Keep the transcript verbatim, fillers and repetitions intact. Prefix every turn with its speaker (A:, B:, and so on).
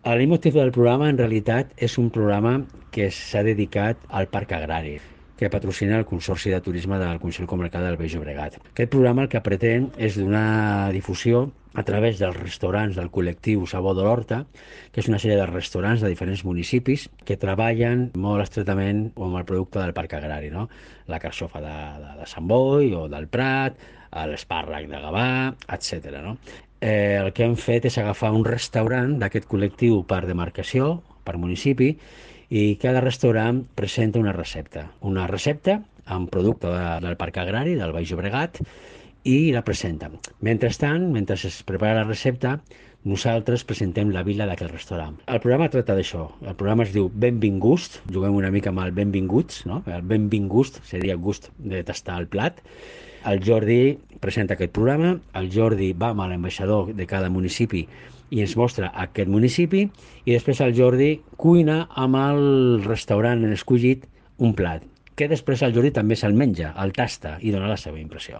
A: El motiu del programa, en realitat, és un programa que s'ha dedicat al Parc Agrari, que patrocina el Consorci de Turisme del Consell Comarcal del Baix Llobregat. Aquest programa el que pretén és donar difusió a través dels restaurants del col·lectiu Sabor de l'Horta, que és una sèrie de restaurants de diferents municipis que treballen molt estretament amb el producte del Parc Agrari, no? La carxofa de, de, de Sant Boi o del Prat, l'espàrrec de Gavà, etcètera. No? Eh, el que hem fet és agafar un restaurant d'aquest col·lectiu per demarcació, per municipi, i cada restaurant presenta una recepta. Una recepta amb producte de, del Parc Agrari, del Baix Llobregat, i la presenta. Mentrestant, mentre es prepara la recepta, nosaltres presentem la vila d'aquest restaurant. El programa tracta d'això. El programa es diu Benvingust, juguem una mica amb el benvinguts, no? El benvingust seria gust de tastar el plat. El Jordi presenta aquest programa, el Jordi va amb l'ambaixador de cada municipi i ens mostra aquest municipi, i després el Jordi cuina amb el restaurant escollit un plat, que després el Jordi també se'l menja, el tasta i dona la seva impressió.